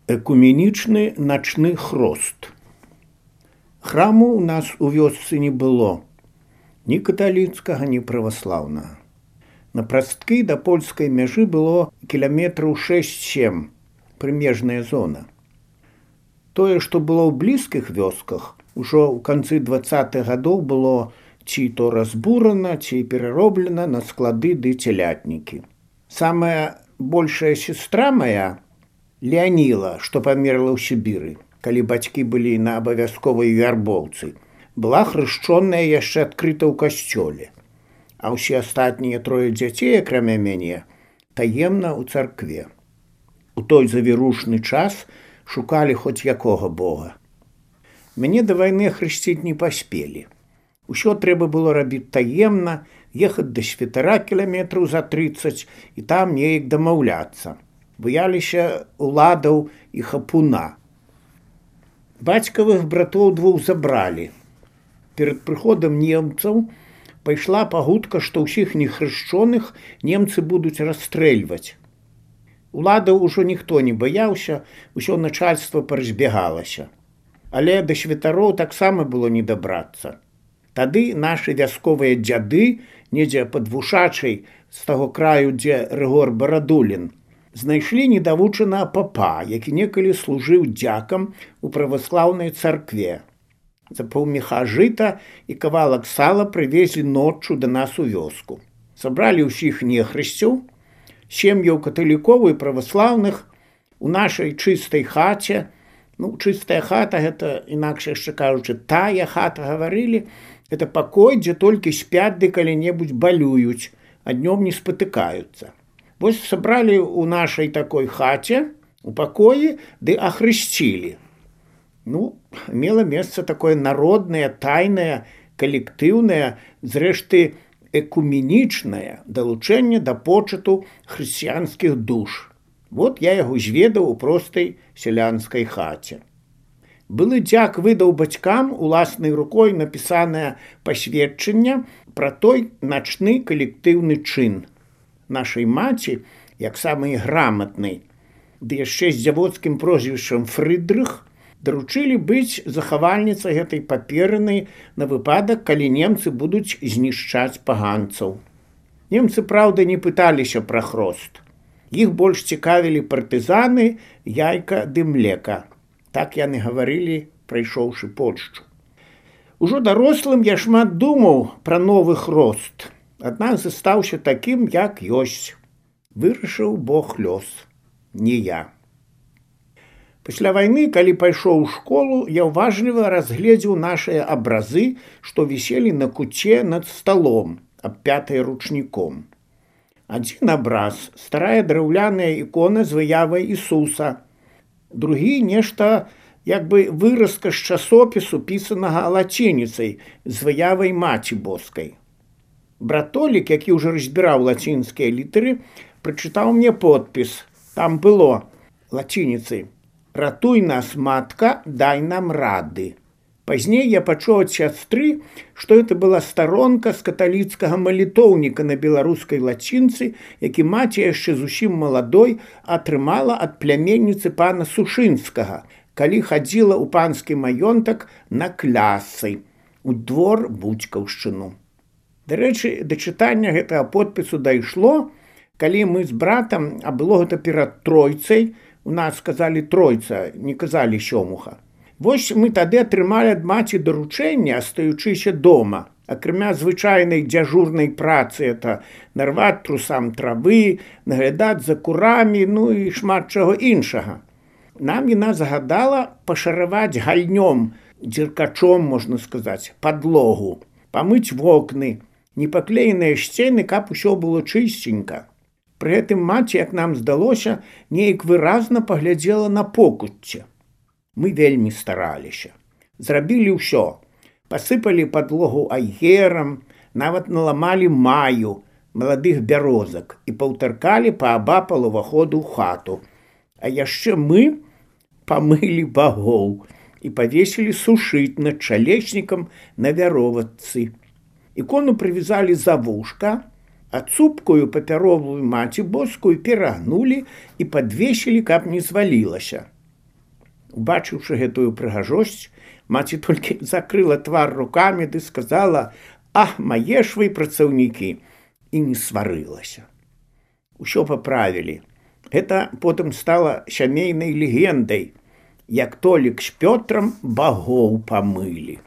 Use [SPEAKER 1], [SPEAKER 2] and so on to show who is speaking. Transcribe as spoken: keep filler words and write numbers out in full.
[SPEAKER 1] Экуменічны начны хрост. Храму ў нас у вёсцы не было, ні каталіцкага, ні праваслаўнага. На прасткі да польскай мяжы было кіламетраў шэсць-сем, прымежная зона. Тое, што было ў блізкіх вёсках, ужо ў канцы дваццатых гадоў было ці то разбурана, ці перароблена на склады ды целятнікі. Самая большая сестра моя, Леаніла, што памерла ў Сібіры, калі бацькі былі на абавязковай вярбоўцы, была хрышчоная яшчэ адкрыта ў касцёле, а ўсе астатнія трое дзяцей, акрамя мяне, таемна ў царкве. У той завірушны час шукалі хоць якога бога. Мяне да вайны хрысціць не паспелі. Усё трэба было рабіць таемна, ехаць да святара кіламетраў за трыццаць і там неяк дамаўляцца. Баяліся уладаў і хапуна. Бацькавых братоў двух забралі. Перад прыходам немцаў пайшла пагутка, што ўсіх нехрышчоных немцы будуць расстрэльваць. Уладаў ужо ніхто не баяўся, усё начальства паразбягалася. Але да святароў таксама было не дабрацца. Тады нашы вясковыя дзяды, недзе пад Вушачай, з таго краю, дзе Рыгор Барадулін, знайшлі недавучанага папа, які некалі служыў дзякам у праваслаўнай царкве. За паўмеха жыта і кавалак сала прывезлі ноччу да нас у вёску. Сабралі ўсіх нехрысцяў, сем'яў каталікоў і праваслаўных у нашай чыстай хаце. Ну, чыстая хата, гэта, інакш яшчэ кажучы, тая хата гаварылі, гэта пакой, дзе толькі спяць ды калі-небудзь балююць, а днём не спатыкаюцца. Вось сабралі ў нашай такой хаце, у пакоі, ды ахрысцілі. Ну, мела месца такое народнае, тайнае, калектыўнае, зрэшты, экуменічнае далучэнне да почыту хрысціянскіх душ. Вот я яго зведаў у простай сялянскай хаце. Былы дзяк выдаў бацькам уласнай рукой напісанае пасведчанне пра той начны калектыўны чын. Нашай маці, як самай граматнай, ды яшчэ з дзявоцкім прозвішчам Фрыдрых, даручылі быць захавальніцай гэтай паперынай на выпадак, калі немцы будуць знішчаць паганцаў. Немцы, праўда, не пыталіся пра хрост. Іх больш цікавілі партызаны, яйка ды млека. Так яны гаварылі, прайшоўшы Польшчу. Ужо дарослым я шмат думаў пра новы хрост, аднак застаўся такім, як ёсць. Вырашыў Бог лёс, не я. Пасля вайны, калі пайшоў у школу, я ўважліва разгледзеў нашыя абразы, што віселі на куце над сталом, абпятыя ручніком. Адзін абраз – старая драўляная ікона з выявай Ісуса. Другі – нешта, як бы выразка з часопісу, пісанага лацініцай, з выявай Маці Боскай. Братолік, які ўжо разбіраў лацінскія літары, прачытаў мне подпіс. Там было лацініцай: «Ратуй нас, матка, дай нам рады». Пазней я пачуў ад сястры, што гэта была старонка з каталіцкага малітоўніка на беларускай лацінцы, які маці яшчэ зусім маладой атрымала ад пляменніцы пана Сушынскага, калі хадзіла ў панскі маёнтак на клясы, у двор Буцькаўшчыну. Дарэчы, да чытання гэтага подпісу дайшло, калі мы з братам, а было гэта перад тройцай, у нас сказалі тройца, не казалі сёмуха. Вось мы тады атрымалі ад маці даручэнне, астаючыся дома. Акрамя звычайнай дзяжурнай працы, это нарваць трусам травы, наглядаць за курамі, ну і шмат чаго іншага. Нам яна загадала пашараваць гальнём, дзіркачом, можна сказаць, падлогу, памыць вокны, непаклееныя сцены, каб усё было чысценька. Пры гэтым маці, як нам здалося, неяк выразна паглядзела на покуцце. Мы вельмі стараліся. Зрабілі ўсё. Пасыпалі падлогу айгерам, нават наламалі маю, маладых бярозак і паўтаркалі паабапал уваходу ў хату. А яшчэ мы памылі багоў і павесілі сушыць над чалечнікам на вяроватцы. Ікону прывязалі за вушка, а цупкую папяровую Маці Боскую перагнулі і падвесілі, каб не звалілася. Убачыўшы гэтую прыгажосць, маці толькі закрыла твар рукамі ды сказала: «Ах, мае ж вы працаўнікі!» і не сварылася. Усё паправілі. Гэта потым стала сямейнай легендай, як Толік з Пётрам багоў памылі.